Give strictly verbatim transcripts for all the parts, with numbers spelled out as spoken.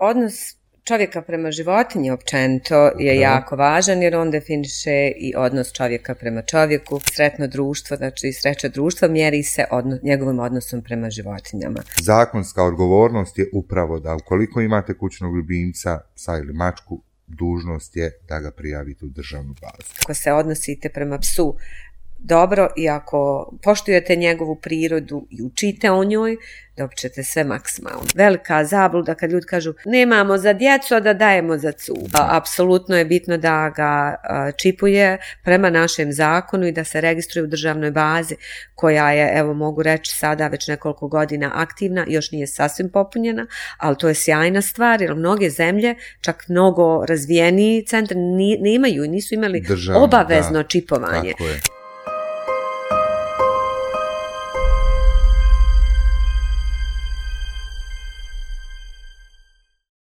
odnos čovjeka prema životinji općenito je jako važan jer on definiše i odnos čovjeka prema čovjeku. Sretno društvo, znači sreća društva mjeri se odno, njegovim odnosom prema životinjama. Zakonska odgovornost je upravo da ukoliko imate kućnog ljubimca, psa ili mačku, dužnost je da ga prijavite u državnu bazu. Ako se odnosite prema psu dobro i ako poštujete njegovu prirodu i učite o njoj, dobit ćete sve maksimalno. Velika zabluda kad ljudi kažu nemamo za djecu, a da dajemo za cu. A, apsolutno je bitno da ga a, čipuje prema našem zakonu i da se registruje u državnoj bazi koja je, evo mogu reći sada već nekoliko godina aktivna, još nije sasvim popunjena, ali to je sjajna stvar jer mnoge zemlje, čak mnogo razvijeniji centri nemaju i nisu imali Državno, obavezno da, čipovanje. Tako je.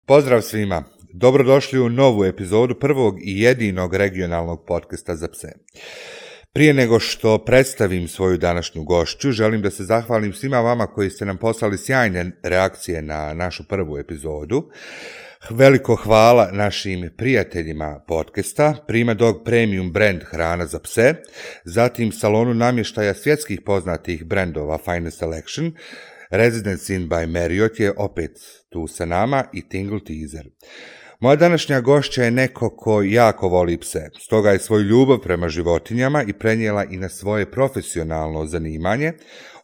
Pozdrav svima, dobrodošli u novu epizodu prvog i jedinog regionalnog podcasta za pse. Prije nego što predstavim svoju današnju gošću, želim da se zahvalim svima vama koji ste nam poslali sjajne reakcije na našu prvu epizodu. Veliko hvala našim prijateljima podcasta, Prima Dog Premium brand hrana za pse, zatim salonu namještaja svjetskih poznatih brendova Finest Selection, Residence Inn by Marriott je opet tu sa nama i Tingle Teaser. Moja današnja gošća je neko ko jako voli pse, stoga je svoju ljubav prema životinjama i prenijela i na svoje profesionalno zanimanje.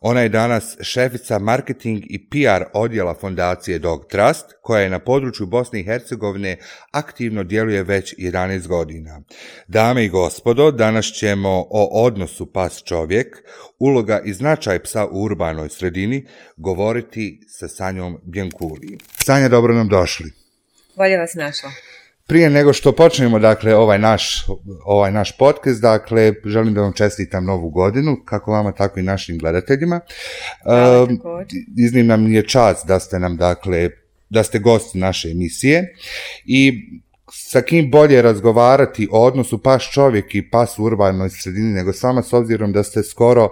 Ona je danas šefica marketing i P R odjela fondacije Dog Trust, koja je na području Bosne i Hercegovine aktivno djeluje već jedanaest godina. Dame i gospodo, danas ćemo o odnosu pas-čovjek, uloga i značaj psa u urbanoj sredini govoriti sa Sanjom Bjenkuli. Sanja, dobro nam došli. Bolje vas našla. Prije nego što počnemo, dakle, ovaj naš, ovaj naš podcast, dakle, želim da vam čestitam novu godinu, kako vama, tako i našim gledateljima. Hvala, um, iznimna mi je čast da ste nam, dakle, da ste gost naše emisije i sa kim bolje razgovarati o odnosu pas čovjek i pas u urbanoj sredini nego sama, s obzirom da ste skoro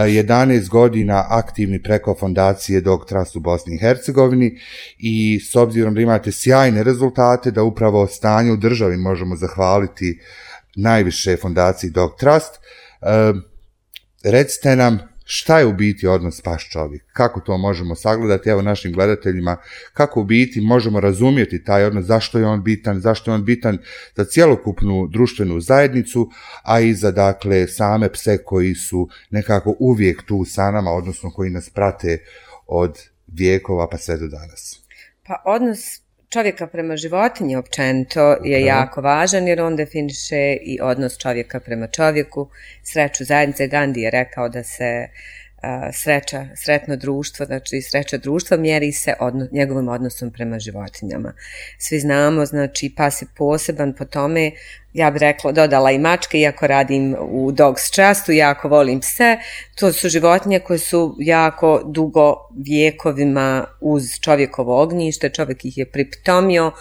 jedanaest godina aktivni preko fondacije Dog Trust u Bosni i Hercegovini i s obzirom da imate sjajne rezultate, da upravo stanje u državi možemo zahvaliti najviše fondaciji Dog Trust. E, recite nam šta je u biti odnos pas čovjek, kako to možemo sagledati, evo našim gledateljima, kako u biti možemo razumjeti taj odnos, zašto je on bitan, zašto je on bitan za cjelokupnu društvenu zajednicu, a i za, dakle, same pse koji su nekako uvijek tu sa nama, odnosno koji nas prate od vijekova pa sve do danas. Pa odnos čovjeka prema životinji općenito je Aha. jako važan jer on definiše i odnos čovjeka prema čovjeku. Sreću zajednice, Gandhi je rekao da se uh, sreća, sretno društvo, znači sreća društva mjeri se odno, njegovim odnosom prema životinjama. Svi znamo, znači pas je poseban po tome, ja bih rekla, dodala i mačke, iako radim u Dogs Trustu, jako volim pse. To su životinje koje su jako dugo vjekovima uz čovjekovo ognjište, čovjek ih je pripitomio uh,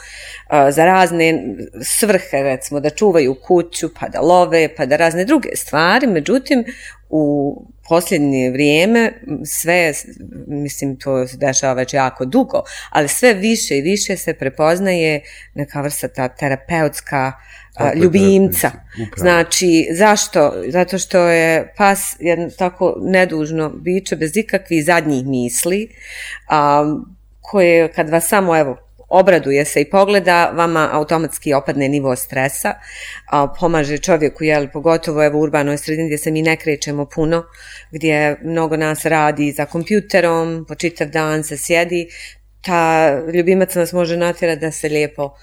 za razne svrhe, recimo da čuvaju kuću, pa da love, pa da razne druge stvari. Međutim, u posljednje vrijeme sve, mislim to se dešava već jako dugo, ali sve više i više se prepoznaje neka vrsta ta terapeutska a, ljubimca. Upravo. Znači, zašto? Zato što je pas jedno tako nedužno biće bez ikakvih zadnjih misli, a, koje kad vas samo, evo, obraduje se i pogleda, vama automatski opadne nivo stresa, a, pomaže čovjeku, jel, pogotovo evo u urbanoj sredini gdje se mi ne krećemo puno, gdje mnogo nas radi za kompjuterom, po čitav dan se sjedi, ta ljubimac nas može natjerati da se lijepo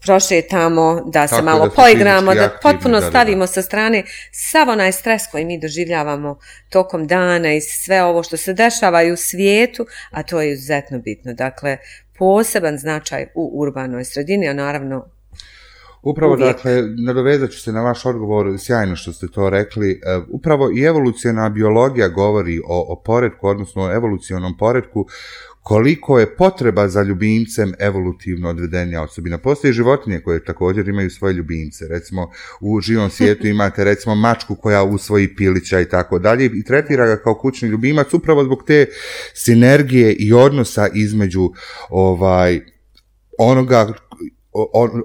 prošetamo, da se Tako malo da poigramo, da potpuno da, stavimo sa strane sav onaj stres koji mi doživljavamo tokom dana i sve ovo što se dešava i u svijetu, a to je izuzetno bitno. Dakle, poseban značaj u urbanoj sredini, a naravno Upravo, uvijek. Dakle, nadovezat ću se na vaš odgovor, sjajno što ste to rekli. Upravo i evoluciona biologija govori o, o poretku, odnosno o evolucionom poretku, koliko je potreba za ljubimcem evolutivno odvedenja osobina. Postoje životinje koje također imaju svoje ljubimce. Recimo, u živom svijetu imate recimo mačku koja usvoji pilića i tako dalje i tretira ga kao kućni ljubimac upravo zbog te sinergije i odnosa između ovaj onoga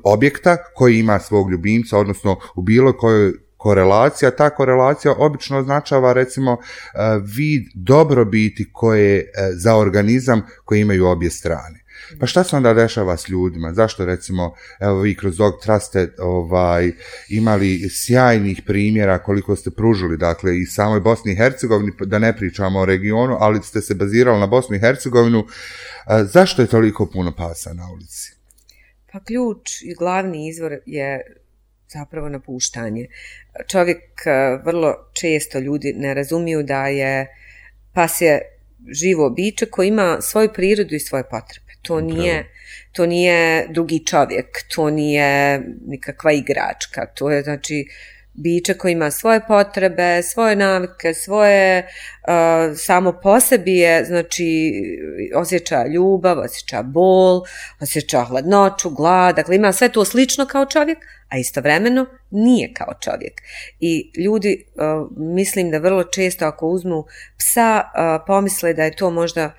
objekta koji ima svog ljubimca, odnosno u bilo kojoj korelacija. Ta korelacija obično označava recimo vid dobrobiti koje za organizam koji imaju obje strane. Pa šta se onda dešava s ljudima? Zašto recimo, evo vi kroz Dog Trust ste ovaj, imali sjajnih primjera koliko ste pružili, dakle i samoj Bosni i Hercegovini, da ne pričamo o regionu, ali ste se bazirali na Bosnu i Hercegovinu. Zašto je toliko puno pasa na ulici? Pa ključ i glavni izvor je zapravo napuštanje. Čovjek, vrlo često ljudi ne razumiju da je pas je živo biće koji ima svoju prirodu i svoje potrebe. To nije, to nije drugi čovjek, to nije nikakva igračka, to je znači biće koji ima svoje potrebe, svoje navike, svoje, uh, samo po sebi je, znači, osjeća ljubav, osjeća bol, osjeća hladnoću, glad, dakle ima sve to slično kao čovjek, a istovremeno nije kao čovjek. I ljudi, uh, mislim da vrlo često ako uzmu psa, uh, pomisle da je to možda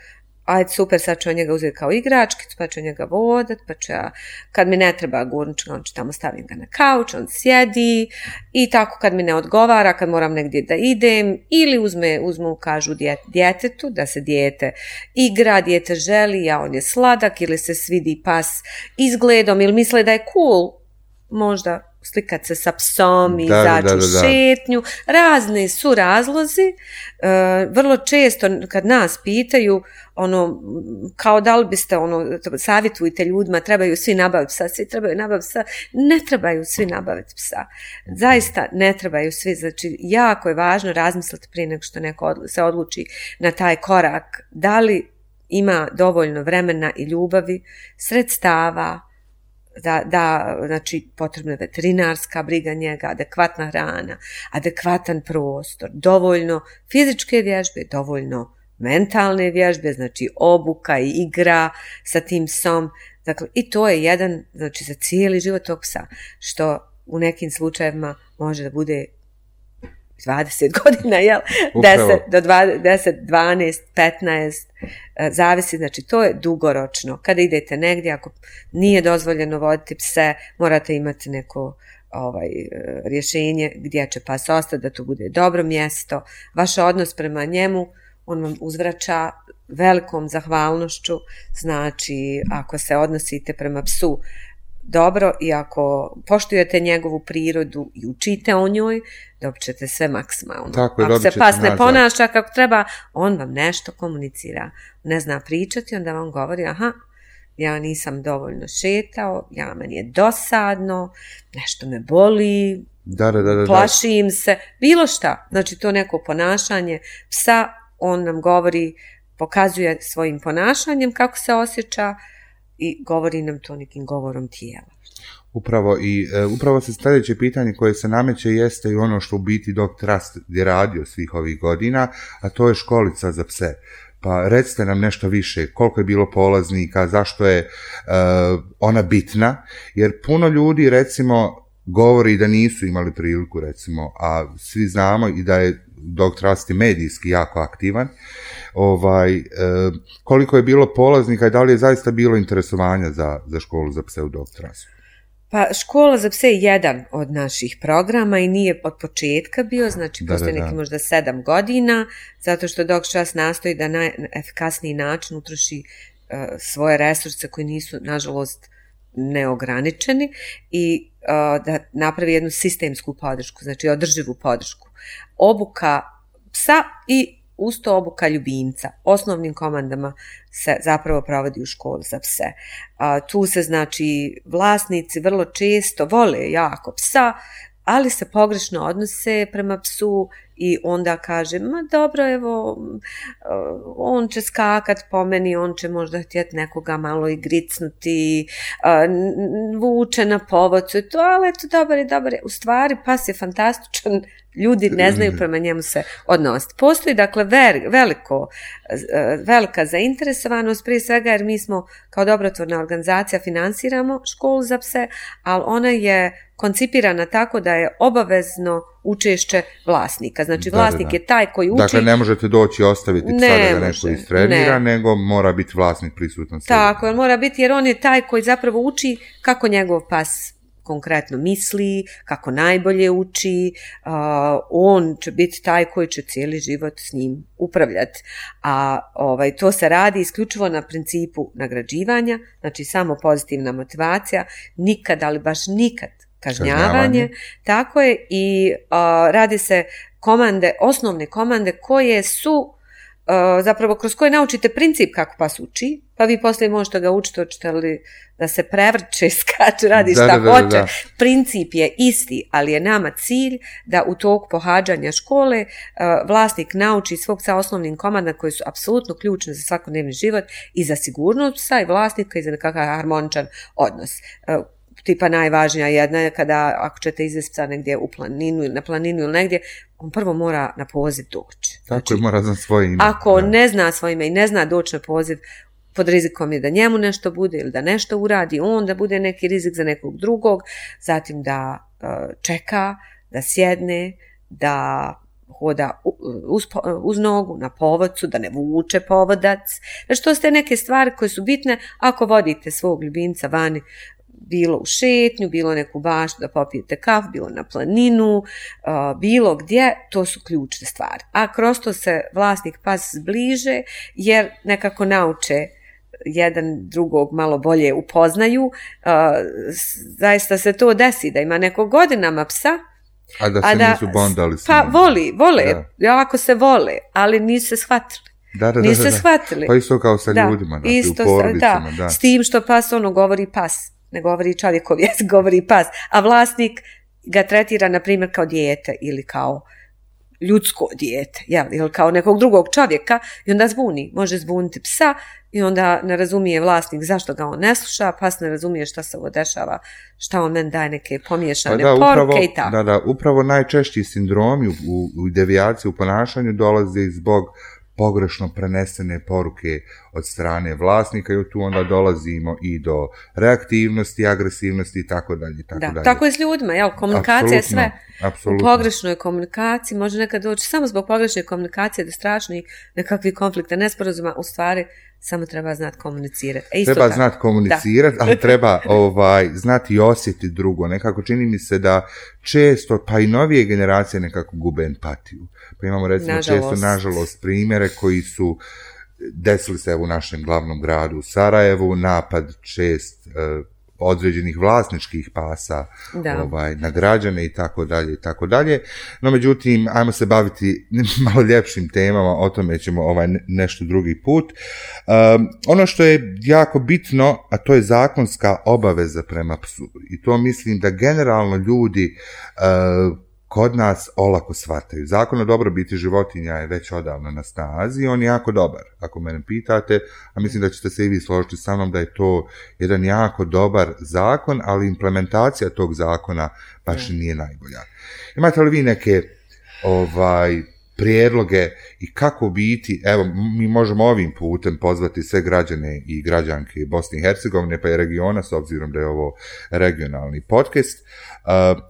ajde super, sad ću njega uzeti kao igračkicu, pa ću njega vodat, pa ću ja, kad mi ne treba gurnčka, on ću tamo stavim ga na kauč, on sjedi i tako kad mi ne odgovara, kad moram negdje da idem, ili uzme, uzmu, kažu djet, djetetu, da se dijete igra, dijete želi, a on je sladak, ili se svidi pas izgledom, ili misle da je cool, možda slikat se sa psom i zađu u šetnju. Razni su razlozi. E, vrlo često kad nas pitaju, ono, kao da li biste, ono, savjetujte ljudima, trebaju svi nabaviti psa, svi trebaju nabaviti psa. Ne trebaju svi nabaviti psa. Zaista ne trebaju svi. Znači, jako je važno razmisliti prije nego što neko se odluči na taj korak. Da li ima dovoljno vremena i ljubavi, sredstava, da, da, znači potrebna je veterinarska briga njega, adekvatna hrana, adekvatan prostor, dovoljno fizičke vježbe, dovoljno mentalne vježbe, znači obuka i igra sa tim psom. Dakle, i to je jedan, znači za cijeli život tog psa, što u nekim slučajevima može da bude dvadeset godina, jel? deset do deset, dvanaest, petnaest, zavisi, znači to je dugoročno. Kada idete negdje, ako nije dozvoljeno voditi pse, morate imati neko ovaj, rješenje gdje će pas ostati, da to bude dobro mjesto. Vaš odnos prema njemu, on vam uzvraća velikom zahvalnošću, znači ako se odnosite prema psu dobro i ako poštujete njegovu prirodu i učite o njoj, dobit ćete sve maksimalno. Tako je, ako se pas ne ponaša kako treba, on vam nešto komunicira. Ne zna pričati, onda vam govori, aha, ja nisam dovoljno šetao, ja, meni je dosadno, nešto me boli, da, da, da, da. plašim se, bilo šta. Znači to neko ponašanje psa, on nam govori, pokazuje svojim ponašanjem kako se osjeća, i govori nam to nekim govorom tijela. Upravo i e, upravo se sljedeće pitanje koje se nameće jeste i ono što u biti Dog Trust je radio svih ovih godina, a to je školica za pse. Pa recite nam nešto više, koliko je bilo polaznika, zašto je e, ona bitna, jer puno ljudi recimo govori da nisu imali priliku recimo, a svi znamo i da je Dog Trust i medijski jako aktivan. Ovaj, e, koliko je bilo polaznika i da li je zaista bilo interesovanja za, za školu za pse u Dog Trustu? Pa škola za pse je jedan od naših programa i nije od početka bio, znači da, postoje da, neki da. možda sedam godina, zato što Dog Trust nastoji da na efikasniji način utroši uh, svoje resurse koji nisu, nažalost, neograničeni i uh, da napravi jednu sistemsku podršku, znači održivu podršku. Obuka psa i usto obuka ljubimca. Osnovnim komandama se zapravo provodi u školi za pse. A, tu se znači vlasnici vrlo često vole jako psa, ali se pogrešno odnose prema psu i onda kaže, ma dobro, evo, on će skakat po meni, on će možda htjeti nekoga malo i gricnuti, vuče na povodcu i to, ali eto, dobar je, dobar je. U stvari, pas je fantastičan ljudi ne znaju prema njemu se odnositi. Postoji dakle ver, veliko, velika zainteresovanost, prije svega jer mi smo kao dobrotvorna organizacija finansiramo školu za pse, ali ona je koncipirana tako da je obavezno učešće vlasnika. Znači vlasnik da, da, da. je taj koji uči. Dakle, ne možete doći i ostaviti psa da ga neko istrenira, ne. nego mora biti vlasnik prisutan. Tako, mora biti jer on je taj koji zapravo uči kako njegov pas konkretno misli, kako najbolje uči, uh, on će biti taj koji će cijeli život s njim upravljati. A ovaj, to se radi isključivo na principu nagrađivanja, znači samo pozitivna motivacija, nikad, ali baš nikad kažnjavanje, kažnjavanje. Tako je i uh, radi se komande, osnovne komande koje su Uh, zapravo kroz koje naučite princip kako pas uči, pa vi poslije možete ga učiti, hoćete li da se prevrće, skače, radi šta da, da, hoće. Da, da. Princip je isti, ali je nama cilj da u toku pohađanja škole uh, vlasnik nauči svog psa osnovnim komandama koji su apsolutno ključne za svakodnevni život i za sigurnost psa i vlasnika i za nekakav harmoničan odnos. Uh, tipa najvažnija jedna je kada ako ćete izvesti psa negdje u planinu ili na planinu ili negdje, on prvo mora na poziv doći. Tako znači, mora znati svoje ime. Ako da. ne zna svoje ime i ne zna doći na poziv, pod rizikom je da njemu nešto bude ili da nešto uradi, on da bude neki rizik za nekog drugog, zatim da uh, čeka, da sjedne, da hoda uz, uz nogu na povodcu, da ne vuče povodac. Znači to ste neke stvari koje su bitne ako vodite svog ljubimca vani, bilo u šetnju, bilo neku baštu da popijete kafu, bilo na planinu, uh, bilo gdje, to su ključne stvari. A kroz to se vlasnik pas zbliže jer nekako nauče jedan drugog malo bolje upoznaju. Uh, zaista se to desi da ima neko godinama psa, a da se a da, nisu bondali s njim. Pa voli, vole, da. jako se vole, ali nisu se shvatili. Da, da, nisu da, se da. shvatili. Pa isto kao sa da, ljudima, znači, isto u porodicama. Da, da. S tim što pas ono govori pas. Ne govori čovjekov jezik, govori pas, a vlasnik ga tretira, na primjer, kao dijete ili kao ljudsko dijete, jel, ili kao nekog drugog čovjeka i onda zbuni, može zbuniti psa i onda ne razumije vlasnik zašto ga on ne sluša, pas ne razumije šta se ovo dešava, šta on meni daje neke pomiješane pa da, poruke upravo, i tako. Da, da, upravo najčešći sindromi u, u devijaciji u ponašanju dolaze zbog pogrešno prenesene poruke od strane vlasnika i tu onda dolazimo i do reaktivnosti, agresivnosti i tako dalje. Tako, da, dalje. Tako je s ljudima, jel? Komunikacija je sve. Apsolutno. U pogrešnoj komunikaciji može nekad doći samo zbog pogrešne komunikacije do strašnih nekakvih konflikta, nesporazuma, u stvari samo treba znati komunicirati. E, treba znati komunicirati, ali treba ovaj, znati i osjetiti drugo. Nekako čini mi se da često, pa i novije generacije nekako gube empatiju. Pa imamo recimo nažalost. često, nažalost, primjere koji su desili se u našem glavnom gradu Sarajevu, napad čest eh, određenih vlasničkih pasa ovaj, na građane i tako dalje i tako dalje. No međutim, ajmo se baviti malo ljepšim temama, o tome ćemo ovaj, nešto drugi put. Um, ono što je jako bitno, a to je zakonska obaveza prema psu. I to mislim da generalno ljudi uh, kod nas olako shvataju. Zakon o dobrobiti životinja je već odavno na snazi i on je jako dobar, ako mene pitate, a mislim da ćete se i vi složiti sa mnom da je to jedan jako dobar zakon, ali implementacija tog zakona baš nije najbolja. Imate li vi neke ovaj, prijedloge i kako biti, evo, mi možemo ovim putem pozvati sve građane i građanke Bosne i Hercegovine, pa i regiona, s obzirom da je ovo regionalni podcast, uh,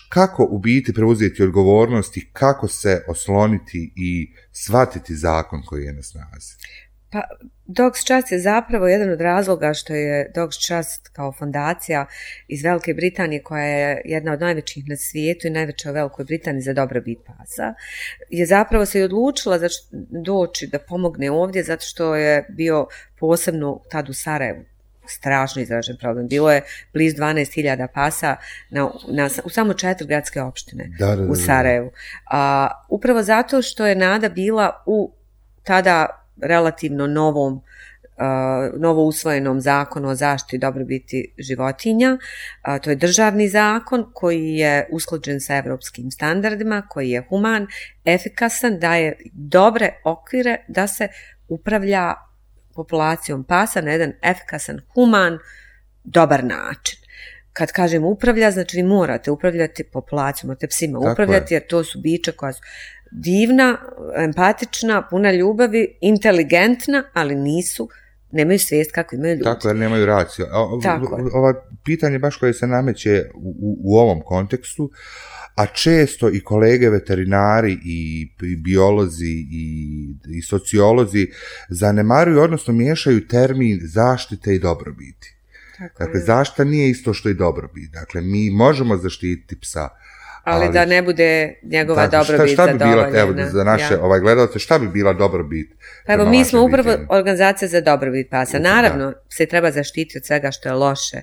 kako u biti preuzeti odgovornost i kako se osloniti i shvatiti zakon koji je na snazi? Pa, Dogs Trust je zapravo jedan od razloga što je Dogs Trust kao fondacija iz Velike Britanije, koja je jedna od najvećih na svijetu i najveća u Velikoj Britaniji za dobrobit pasa, je zapravo se i odlučila doći da pomogne ovdje zato što je bio posebno tad u Sarajevu strašno izražen problem. Bilo je blizu dvanaest hiljada pasa na, na, u samo četiri gradske opštine da, da, da, u Sarajevu. A, upravo zato što je nada bila u tada relativno novom, uh, novo usvojenom zakonu o zaštiti i dobrobiti životinja. Uh, to je državni zakon koji je usklađen sa evropskim standardima, koji je human, efikasan, daje dobre okvire da se upravlja populacijom pasa na jedan efikasan, human, dobar način. kad kažem upravlja, znači vi morate upravljati populacijom, morate psima Tako upravljati, je. jer to su bića koja su divna, empatična, puna ljubavi, inteligentna, ali nisu, nemaju svijest kako imaju ljudi. Tako, jer nemaju raciju. O, Tako je. Ova pitanje baš koje se nameće u, u, u ovom kontekstu, a često i kolege veterinari i, i biolozi i, i sociolozi zanemaruju, odnosno miješaju termin zaštite i dobrobiti. Tako Dakle, je. zaštita nije isto što i dobrobit. Dakle, mi možemo zaštititi psa, Ali, ali da ne bude njegova da, dobrobit šta, šta bi bila, zadovoljena. evo, za naše Ja. ovaj, gledalce, šta bi bila dobrobit? Pa evo, prema mi vašem smo upravo viđenju? organizacija za dobrobit pasa. Da. Naravno, se treba zaštititi od svega što je loše.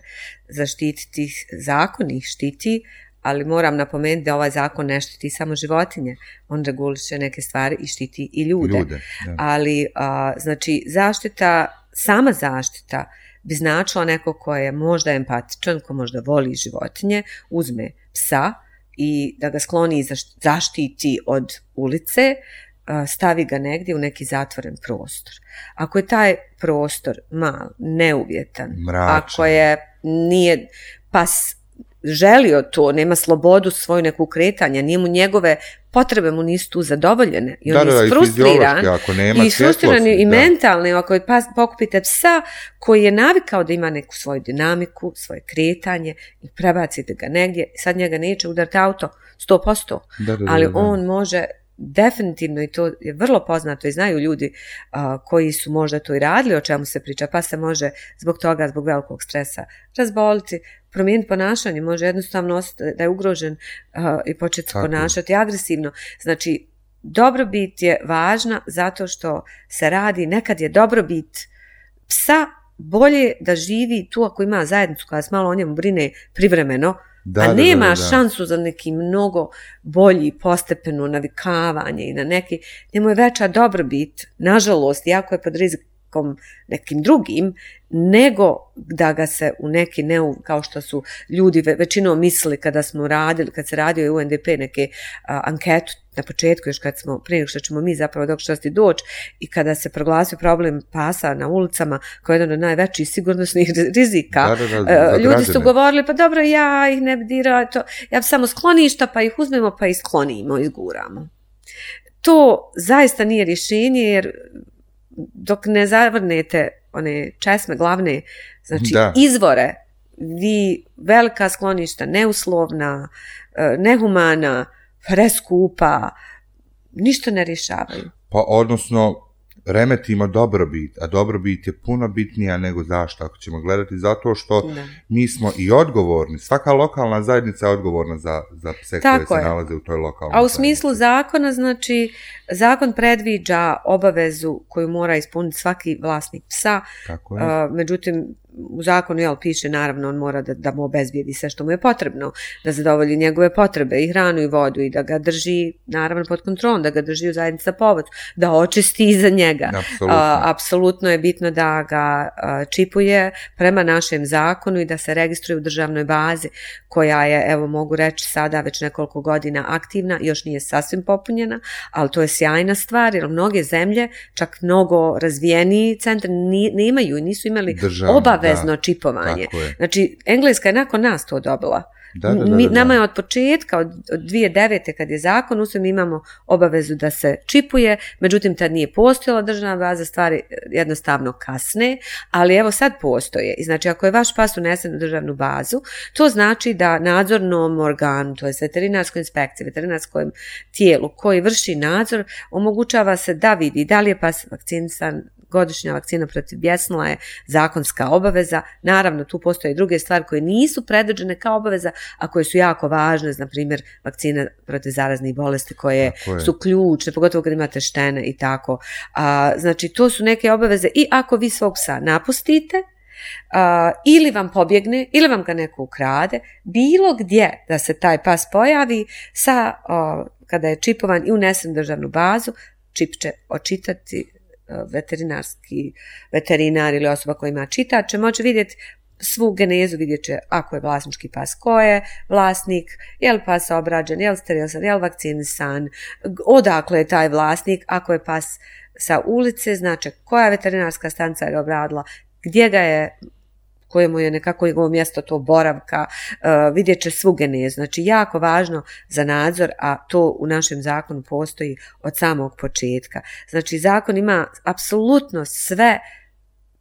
Zaštititi ih, zakon ih štiti, ali moram napomenuti da ovaj zakon ne štiti samo životinje. On reguliše neke stvari i štiti i ljude. Ljude, da. Ali, a, znači, zaštita, sama zaštita bi značila neko ko je možda empatičan, ko možda voli životinje, uzme psa i da ga skloni i zaš- zaštiti od ulice, a, stavi ga negdje u neki zatvoren prostor. Ako je taj prostor mal, neuvjetan, Mračan. ako je nije pas želio to, nema slobodu svoju neku kretanja, nije mu njegove potrebe mu nisu tu zadovoljene i on Da, da, je i frustriran fiziološki, ako nema i frustriran svjetlosti, i da. mentalni, ako je pas, pokupite psa koji je navikao da ima neku svoju dinamiku, svoje kretanje i prebacite ga negdje, sad njega neće udariti auto sto posto, Da, da, da, ali da. on može definitivno, i to je vrlo poznato i znaju ljudi a, koji su možda to i radili, o čemu se priča, pa se može zbog toga, zbog velikog stresa razboliti, promijeniti ponašanje, može jednostavno ostati da je ugrožen a, i početi se Tako je. ponašati agresivno. Znači, dobrobit je važna zato što se radi, nekad je dobrobit psa bolje da živi tu ako ima zajednicu koja se malo o njemu brine privremeno, Da, a da, da, nema da, da. šansu za neki mnogo bolji postepeno navikavanje i na neki, njemu je veća dobrobit, nažalost, jako je pod rizikom nekim drugim, nego da ga se u neki, neu, kao što su ljudi ve- većinom mislili kada smo radili, kad se radio U N D P neke a, anketu na početku, još kad smo, prije nego što ćemo mi zapravo dok što doći i kada se proglasio problem pasa na ulicama kao jedan od najvećih sigurnosnih rizika, Da, da, da, e, za ljudi su građane. govorili, pa dobro, ja ih ne bi dirao, to, ja bi samo skloništa, pa ih uzmemo, pa ih sklonimo, izguramo. To zaista nije rješenje, jer dok ne zavrnete one česme glavne, znači Da. izvore, vi velika skloništa, neuslovna, e, nehumana, preskupa, ništa ne rješavaju. Pa odnosno remetimo dobrobit, a dobrobit je puno bitnija nego zašto, ako ćemo gledati, zato što Da. mi smo i odgovorni, svaka lokalna zajednica je odgovorna za, za pse Tako koje se je. nalaze u toj lokalnoj A u zajednici. smislu zakona, znači, zakon predviđa obavezu koju mora ispuniti svaki vlasnik psa, Tako je. a, međutim, u zakonu jel, piše naravno on mora da, da mu obezbijedi sve što mu je potrebno, da zadovolji njegove potrebe i hranu i vodu i da ga drži naravno pod kontrolom, da ga drži u zajednici za povod, da očisti iza njega. Apsolutno. A, apsolutno je bitno da ga a, čipuje prema našem zakonu i da se registruje u državnoj bazi koja je, evo mogu reći sada već nekoliko godina aktivna, još nije sasvim popunjena, ali to je sjajna stvar jer mnoge zemlje, čak mnogo razvijeniji centri ni, nemaju i nisu imali Državno, obavezno da. čipovanje. Tako je. Znači, Engleska je nakon nas to dobila. Da, da, da, Mi, da, da. nama je od početka, od, od dvije tisuće devete kad je zakon, u mi imamo obavezu da se čipuje, međutim tad nije postojala državna baza, stvari jednostavno kasne, ali evo sad postoje. I znači ako je vaš pas unesen u državnu bazu, to znači da nadzornom organu, to je veterinarskoj inspekciji, veterinarskom tijelu koji vrši nadzor, omogućava se da vidi da li je pas vakcinisan, godišnja vakcina protiv bjesnila je zakonska obaveza. Naravno, tu postoje druge stvari koje nisu predviđene kao obaveza, a koje su jako važne, na primjer vakcina protiv zaraznih bolesti koje Tako je. su ključne, pogotovo kad imate štene i tako. A, znači, to su neke obaveze i ako vi svog psa napustite, a, ili vam pobjegne, ili vam ga neko ukrade, bilo gdje da se taj pas pojavi, sa, a, kada je čipovan i unesen u državnu bazu, čip će očitati veterinarski veterinar ili osoba koja ima čitač će moći vidjeti svu genezu, vidjet će ako je vlasnički pas, ko je vlasnik, je li pas obrađen, je li sterilisan, je li vakcinisan, odakle je taj vlasnik, ako je pas sa ulice, znači koja veterinarska stanica je obradila, gdje ga je kojemu je nekako njegovo mjesto to boravka, uh, vidjet će svu genezu. Znači jako važno za nadzor, a to u našem zakonu postoji od samog početka. Znači zakon ima apsolutno sve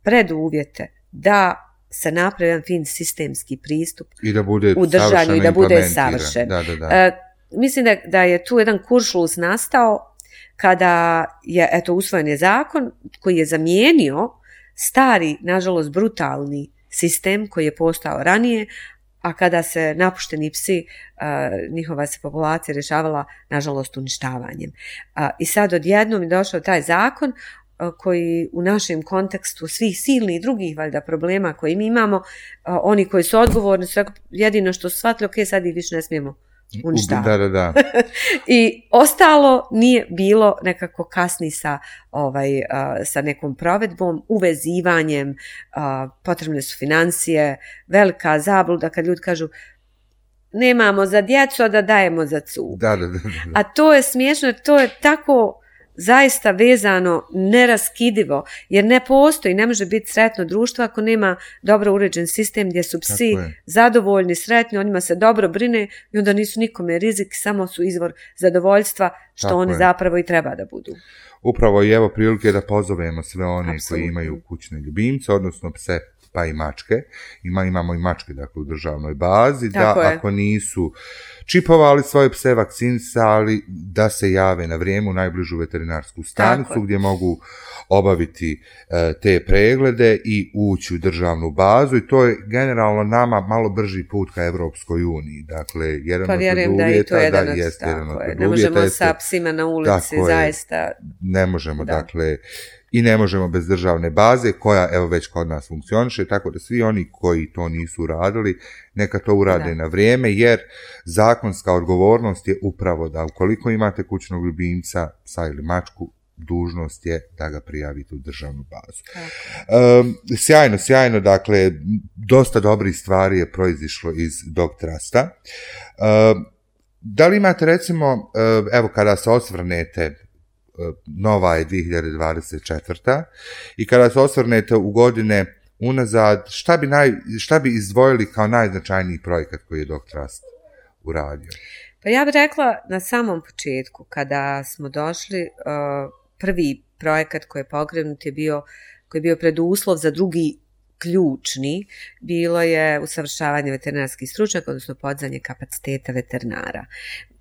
preduvjete da se napravi jedan fin sistemski pristup i da bude u držanju i da bude savršen. Da, da, da. Uh, mislim da, da je tu jedan kuršlus nastao kada je, eto, usvojen je zakon koji je zamijenio stari, nažalost, brutalni sistem koji je postao ranije, a kada se napušteni psi, uh, njihova se populacija rješavala, nažalost, uništavanjem. Uh, I sad odjednom je došao taj zakon koji u našem kontekstu svih silnih i drugih valjda problema koje mi imamo, oni koji su odgovorni su jedino što su shvatili, ok, sad ih više ne smijemo uništavati. Da, da, da. I ostalo nije bilo nekako kasni sa, ovaj, sa nekom provedbom, uvezivanjem, potrebne su financije, velika zabluda kad ljudi kažu nemamo za djecu, a da dajemo za cug. Da, da, da, da. A to je smiješno, to je tako zaista vezano, neraskidivo, jer ne postoji, ne može biti sretno društvo ako nema dobro uređen sistem gdje su psi zadovoljni, sretni, o njima se dobro brine i onda nisu nikome rizik, samo su izvor zadovoljstva, što Tako oni je. zapravo i treba da budu. Upravo i evo prilike da pozovemo sve one Apsolutno. koji imaju kućne ljubimce, odnosno pse pa i mačke. Ima, imamo i mačke dakle, u državnoj bazi, Tako da je. ako nisu čipovali svoje pse, vakcinisali, da se jave na vrijeme u najbližu veterinarsku stanicu gdje mogu obaviti e, te preglede i ući u državnu bazu i to je generalno nama malo brži put ka Evropskoj uniji. Dakle, jedan Pa od vjerujem da i to je jedan od, jeste jedan od ne možemo jeste, sa psima na ulici, zaista. Ne možemo, da. dakle, i ne možemo bez državne baze koja evo već kod nas funkcioniše, tako da svi oni koji to nisu uradili, neka to urade da. na vrijeme, jer zakonska odgovornost je upravo da ukoliko imate kućnog ljubimca, psa ili mačku, dužnost je da ga prijavite u državnu bazu. Um, sjajno, sjajno, dakle, dosta dobrih stvari je proizišlo iz Dog Trusta. Um, da li imate recimo, evo kada se osvrnete, nova je dvije hiljade dvadeset četvrta i kada se osvrnete u godine unazad, šta bi, naj, šta bi izdvojili kao najznačajniji projekat koji je Dog Trust uradio? Pa ja bih rekla na samom početku, kada smo došli, prvi projekat koji je pokrenut je bio, koji je bio preduslov za drugi ključni, bilo je usavršavanje veterinarskih stručnjaka, odnosno podizanje kapaciteta veterinara.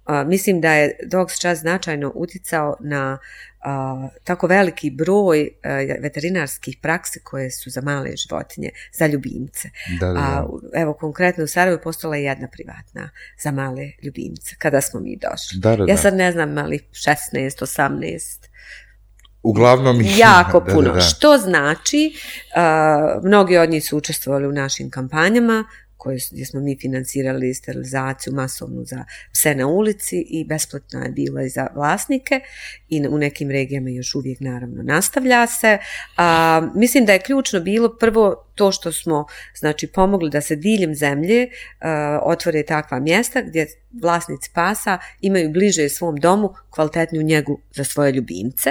Uh, mislim da je Dogs Trust značajno uticao na uh, tako veliki broj uh, veterinarskih praksi koje su za male životinje, za ljubimce. Da, da, da. Uh, evo, konkretno u Sarajevu postala je jedna privatna za male ljubimce, kada smo mi došli. Da, da, da. Ja sad ne znam, ali šesnaest, osamnaest Uglavnom jako puno, da, da, da. Što znači, uh, mnogi od njih su učestvovali u našim kampanjama, koje, gdje smo mi financirali sterilizaciju masovnu za pse na ulici i besplatna je bila i za vlasnike i u nekim regijama još uvijek naravno nastavlja se. A, mislim da je ključno bilo prvo to što smo znači pomogli da se diljem zemlje a, otvore takva mjesta gdje vlasnici pasa imaju bliže svom domu kvalitetniju njegu za svoje ljubimce,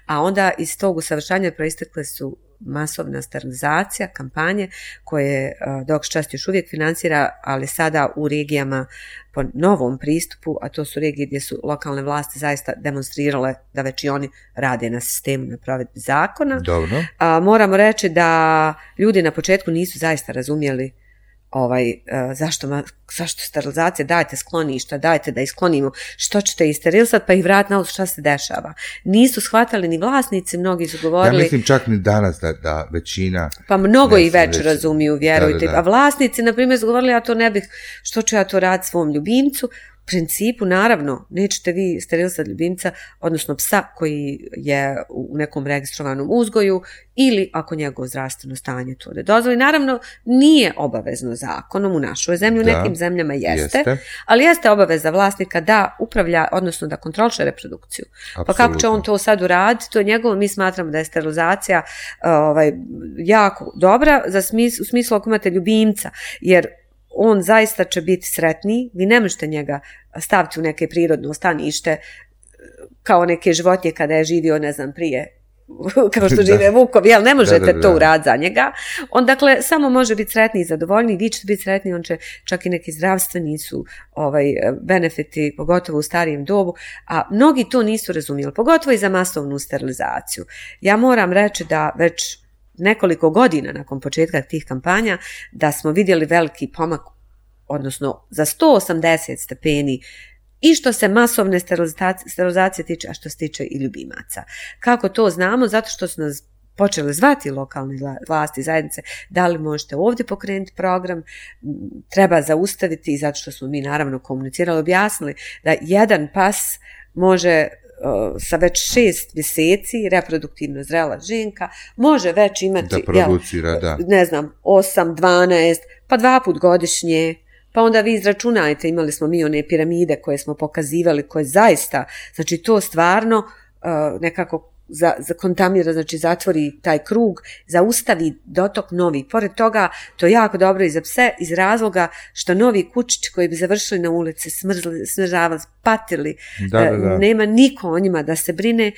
a onda iz tog usavršanja proistekle su masovna sterilizacija, kampanje koje uh, Dogs Trust još uvijek financira, ali sada u regijama po novom pristupu, a to su regije gdje su lokalne vlasti zaista demonstrirale da već i oni rade na sistemu, na provedbi zakona. Dobro. Uh, moramo reći da ljudi na početku nisu zaista razumjeli ovaj, uh, zašto, zašto sterilizacija, dajte skloništa, dajte da ih sklonimo, što ćete ih sterilisati, pa ih vratiti na ulicu, šta se dešava. Nisu shvatali ni vlasnici, mnogi su govorili... Ja mislim čak ni danas da, da većina... Pa mnogo ne, ih već već razumiju, vjerujte. Da, da, da. A vlasnici, na primjer, su govorili, ja to ne bih, što ću ja to raditi svom ljubimcu? U principu, naravno, nećete vi sterilisati ljubimca, odnosno psa koji je u nekom registrovanom uzgoju ili ako njegovo zdravstveno stanje to ne dozvoli. Naravno, nije obavezno zakonom u našoj zemlji, u da, nekim zemljama jeste, jeste, ali jeste obaveza vlasnika da upravlja, odnosno da kontroliše reprodukciju. Absolutno. Pa kako će on to sad uraditi, to je njegovo, mi smatramo da je sterilizacija ovaj, jako dobra za smis, u smislu ako imate ljubimca, jer on zaista će biti sretniji, vi ne možete njega staviti u neke prirodno stanište kao neke životinje kada je živio, ne znam, prije kao što žive vukovi, jel ne možete da, da, da. to uraditi za njega. On dakle samo može biti sretniji i zadovoljniji, vi ćete biti sretniji, on će čak i neki zdravstveni su ovaj, benefiti, pogotovo u starijem dobu, a mnogi to nisu razumjeli, pogotovo i za masovnu sterilizaciju. Ja moram reći da već nekoliko godina nakon početka tih kampanja da smo vidjeli veliki pomak, odnosno za sto osamdeset stepeni i što se masovne sterilizacije tiče, a što se tiče i ljubimaca. Kako to znamo? Zato što su nas počeli zvati lokalne vlasti, zajednice, da li možete ovdje pokrenuti program, treba zaustaviti, i zato što smo mi naravno komunicirali, objasnili da jedan pas može sa već šest mjeseci, reproduktivno zrela ženka, može već imati, da producira, jel, da. ne znam, osam, dvanaest, pa dva put godišnje, pa onda vi izračunajte, imali smo mi one piramide koje smo pokazivali, koje zaista, znači to stvarno uh, nekako za, za kontamira, znači zatvori taj krug, zaustavi dotok novi. Pored toga, to je jako dobro i za pse, iz razloga što novi kučići koji bi završili na ulici, smrzli, smržavali, patili, da, da, da. nema niko o njima da se brine,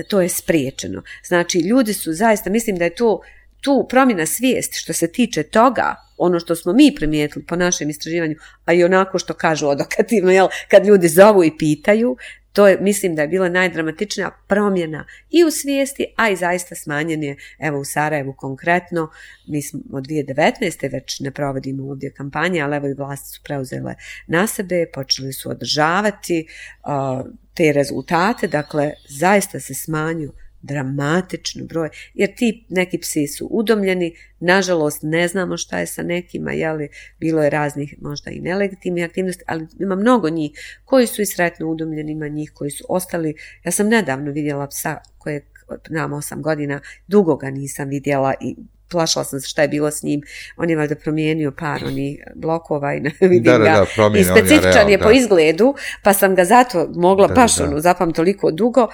to je spriječeno. Znači, ljudi su zaista, mislim da je to tu promjena svijesti što se tiče toga, ono što smo mi primijetili po našem istraživanju, a i onako što kažu odokativno, jel, kad ljudi zovu i pitaju, to je, mislim da je bila najdramatičnija promjena i u svijesti, a i zaista smanjen je, evo u Sarajevu konkretno, mi smo od dvije tisuće devetnaeste već ne provodimo ovdje kampanje, ali evo i vlasti su preuzele na sebe, počeli su održavati uh, te rezultate, dakle zaista se smanju dramatično broj, jer ti neki psi su udomljeni, nažalost ne znamo šta je sa nekima, jeli, bilo je raznih možda i nelegitimnih aktivnosti, ali ima mnogo njih koji su i sretno udomljeni, ima njih koji su ostali. Ja sam nedavno vidjela psa kojeg nam osam godina, dugo ga nisam vidjela i plašala sam se šta je bilo s njim, on je valjda promijenio par onih blokova i ne vidim da, da, ga, da, i specifičan je, real, je po da. izgledu, pa sam ga zato mogla da, baš da, da. ono, zapam toliko dugo,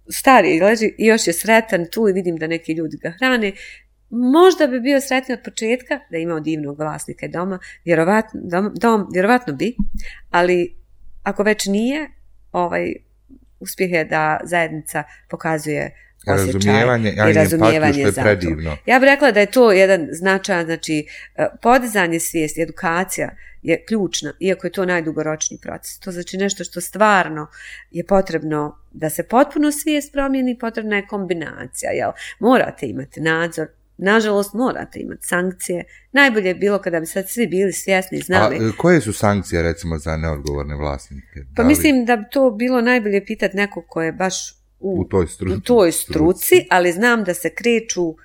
stari leži i još je sretan tu i vidim da neki ljudi ga hrane. Možda bi bio sretni od početka da je imao divnog vlasnika doma, vjerovatno, dom, dom, vjerovatno bi, ali ako već nije, ovaj, uspjeh je da zajednica pokazuje osjećaj razumijevanje, i razumijevanje je za predivno. Ja bih rekla da je to jedan značajan, znači podizanje svijesti, edukacija je ključna, iako je to najdugoročniji proces. To znači nešto što stvarno je potrebno da se potpuno svijest promijeni, potrebna je kombinacija. Jel? Morate imati nadzor, nažalost morate imati sankcije. Najbolje je bilo kada bi sad svi bili svjesni i znali. A koje su sankcije recimo za neodgovorne vlasnike? Pa mislim da bi to bilo najbolje pitati nekog ko je baš u, u toj struci, u toj struci, ali znam da se kreću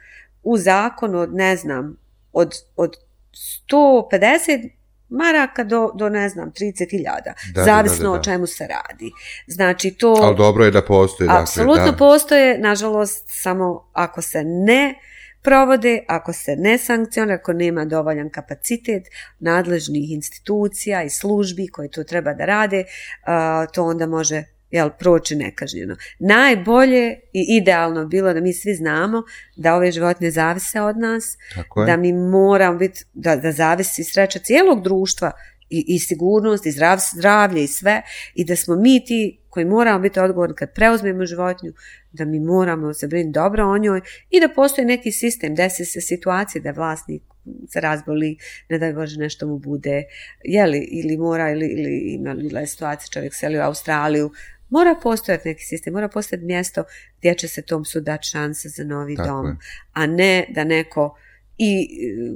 u zakonu od, ne znam, od, od sto pedeset maraka do, do ne znam, trideset hiljada. Zavisno da, da, da, da. o čemu se radi. Znači to... Ali dobro je da postoje. Apsolutno dakle, da. postoje, nažalost, samo ako se ne provode, ako se ne sankcionira, ako nema dovoljan kapacitet nadležnih institucija i službi koje to treba da rade, uh, to onda može jel, proći nekažnjeno. Najbolje i idealno bilo da mi svi znamo da ove životinje zavise od nas, da mi moramo biti, da, da zavisi sreća cijelog društva i, i sigurnost i zdrav, zdravlje i sve, i da smo mi ti koji moramo biti odgovorni kad preuzmemo životinju, da mi moramo se brinuti dobro o njoj i da postoji neki sistem, desi se situacije da vlasnik se razboli, ne daj Bože nešto mu bude, jeli, ili mora, ili, ili ima je situacija, čovjek seli u Australiju, mora postojati neki sistem, mora postojati mjesto gdje će se tom psu dati šanse za novi Tako dom, je. a ne da neko i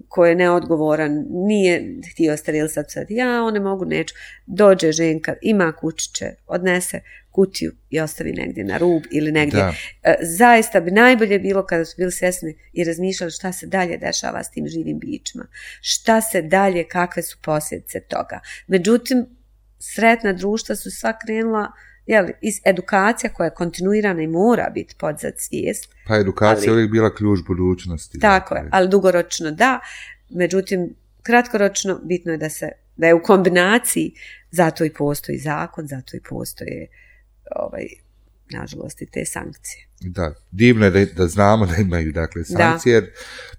ko je neodgovoran, nije htio sterilisati sad, ja one mogu, neću, dođe ženka, ima kućiće, odnese kutiju i ostavi negdje na rub ili negdje. Da. Zaista bi najbolje bilo kada su bili svjesni i razmišljali šta se dalje dešava s tim živim bićima, šta se dalje, kakve su posljedice toga. Međutim, sretna društva su sva krenula, jeli, iz edukacija koja je kontinuirana i mora biti podzad svijest. Pa edukacija je uvijek bila ključ budućnosti. Tako je, ali dugoročno da, međutim, kratkoročno bitno je da se, da je u kombinaciji, zato i postoji zakon, zato i postoje ovaj, nažalost i te sankcije. Da, divno je da, da znamo da imaju dakle sankcije, jer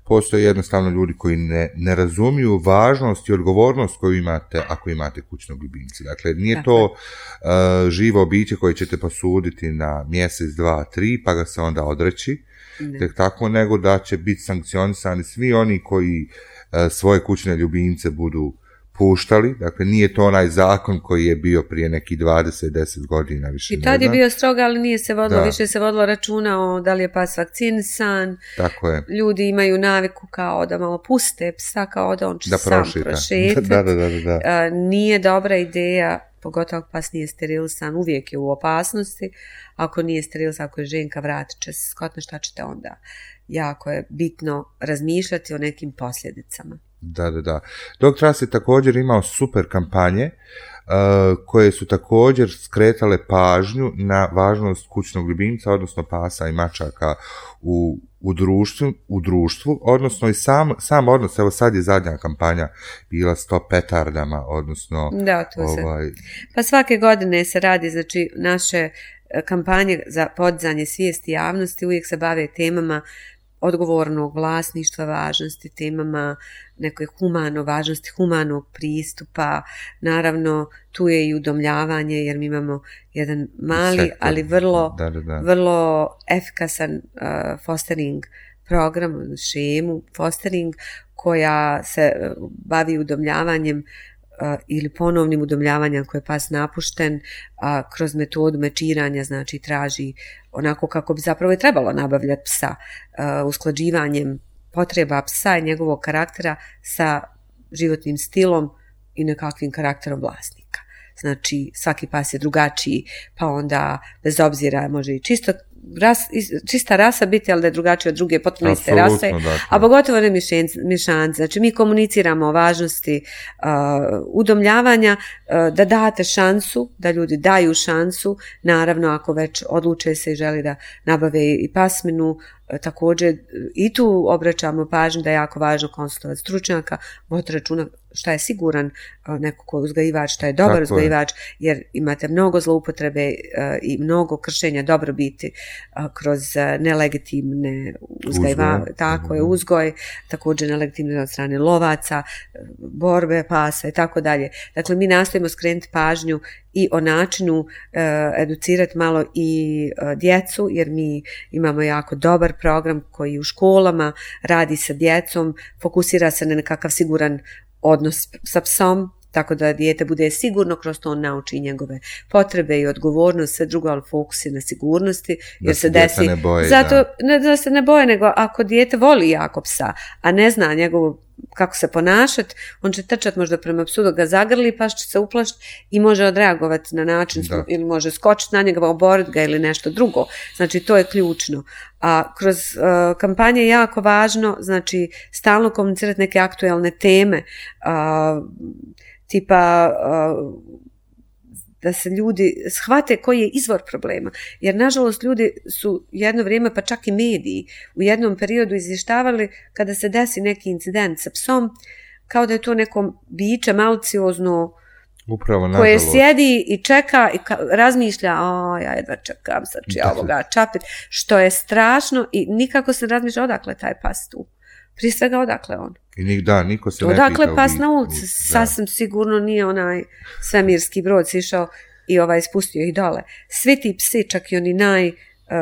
postoje jednostavno ljudi koji ne, ne razumiju važnost i odgovornost koju imate ako imate kućnog ljubimca. Dakle, nije Tako to uh, živo biće koje ćete posuditi na mjesec, dva, tri, pa ga se onda odreći, ne. tek tako, nego da će biti sankcionisani svi oni koji e, svoje kućne ljubimce budu puštali, dakle nije to onaj zakon koji je bio prije neki dvadeset deset godina više. I tad je bio strog, ali nije se vodilo, da. više se vodilo računa o da li je pas vakcinisan. Tako je. Ljudi imaju naviku kao da malo puste psa, kao da on će da sam prošetati. Da, da, da, da. A, nije dobra ideja, pogotovo ako pas nije sterilisan, uvijek je u opasnosti. Ako nije sterilisan, ako je ženka, vratit će se skotno, šta ćete onda? Jako je bitno razmišljati o nekim posljedicama. Da, da, da. Doktor Ras je također imao super kampanje uh, koje su također skretale pažnju na važnost kućnog ljubimca, odnosno pasa i mačaka u, u, društvu, u društvu, odnosno i sam, sam odnos, evo sad je zadnja kampanja bila s to petardama, odnosno... Da, to ovaj... se... Pa svake godine se radi, znači, naše kampanje za podizanje svijesti javnosti uvijek se bave temama odgovornog vlasništva, važnosti, temama nekoj humano, važnosti humanog pristupa. Naravno, tu je i udomljavanje, jer mi imamo jedan mali, sektor, ali vrlo, da, da, da. vrlo efikasan uh, fostering program, šemu fostering, koja se bavi udomljavanjem Uh, ili ponovnim udomljavanjem koje je pas napušten, uh, kroz metodu mečiranja, znači traži onako kako bi zapravo je trebalo nabavljati psa, uh, usklađivanjem potreba psa i njegovog karaktera sa životnim stilom i nekakvim karakterom vlasnika. Znači svaki pas je drugačiji, pa onda bez obzira može i čisto ras, čista rasa biti, ali da je drugačija od druge potpuno iste rase, dakle. A pogotovo ne mješanice. Znači mi komuniciramo o važnosti uh, udomljavanja, uh, da date šansu, da ljudi daju šansu, naravno ako već odluče se i želi da nabave i pasminu, uh, također i tu obraćamo pažnju da je jako važno konsultovati stručnjaka, voditi računa šta je siguran uh, neko ko je uzgajivač, šta je dobar tako uzgajivač, je. Jer imate mnogo zloupotrebe uh, i mnogo kršenja dobrobiti kroz nelegitimne uzgajiva, tako je, uzgoj, također nelegitimne od strane lovaca, borbe pasa i tako dalje. Dakle, mi nastojimo skrenuti pažnju i o načinu uh, educirati malo i uh, djecu, jer mi imamo jako dobar program koji u školama radi sa djecom, fokusira se na nekakav siguran odnos sa psom, tako da dijete bude sigurno, kroz to on nauči njegove potrebe i odgovornost, sve drugo, ali fokus je na sigurnosti, jer da se desi, ne boji, zato, da. Ne da se ne boje, nego ako dijete voli jako psa, a ne zna njegovu kako se ponašati, on će trčati možda prema psu da ga zagrli, pa će se uplašiti i može odreagovati na način, da. Ili može skočiti na njega, oboriti ga ili nešto drugo. Znači, to je ključno. A kroz uh, kampanje je jako važno, znači, stalno komunicirati neke aktuelne teme, uh, tipa uh, da se ljudi shvate koji je izvor problema. Jer, nažalost, ljudi su jedno vrijeme, pa čak i mediji, u jednom periodu izvještavali kada se desi neki incident sa psom, kao da je to neko biće maliciozno, upravo, koje sjedi i čeka i ka, razmišlja, a ja jedva čekam, sad ću ja ovoga čapit, što je strašno i nikako se razmišlja odakle taj pas tu. Prije svega odakle on. I da, niko se odakle ne pita. Odakle pas na ulici, sasvim sigurno nije onaj svemirski brod sišao i ovaj spustio ih dole. Svi ti psi, čak i oni naj,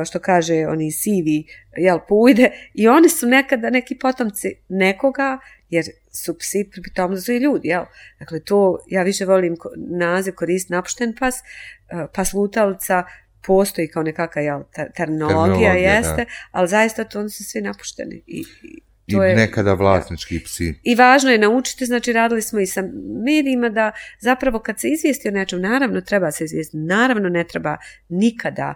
što kaže, oni sivi, jel, pujde, i oni su nekada neki potomci nekoga, jer su psi pritom su i ljudi, jel. Dakle, to, ja više volim naziv koristiti napušten pas, pas lutalica, postoji kao nekakva, jel, terminologija, jeste, da. Ali zaista to oni su svi napušteni i, i I je, nekada vlasnički psi. I važno je naučiti, znači radili smo i sa medijima da zapravo kad se izvijesti o nečem, naravno treba se izvijestiti, naravno ne treba nikada,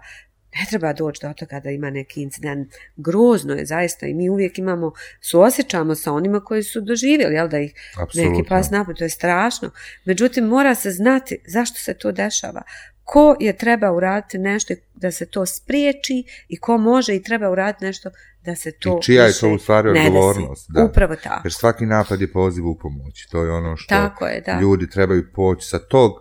ne treba doći do toga da ima neki incident. Grozno je zaista i mi uvijek imamo, suosjećamo sa onima koji su doživjeli, jel, da ih Apsolutno. Neki pas napad, to je strašno. Međutim, mora se znati zašto se to dešava. Ko je treba uraditi nešto da se to spriječi i ko može i treba uraditi nešto da se to i čija je to u stvari odgovornost. Da. Upravo tako. Jer svaki napad je poziv u pomoć. To je ono što je, da. Ljudi trebaju poći sa tog uh,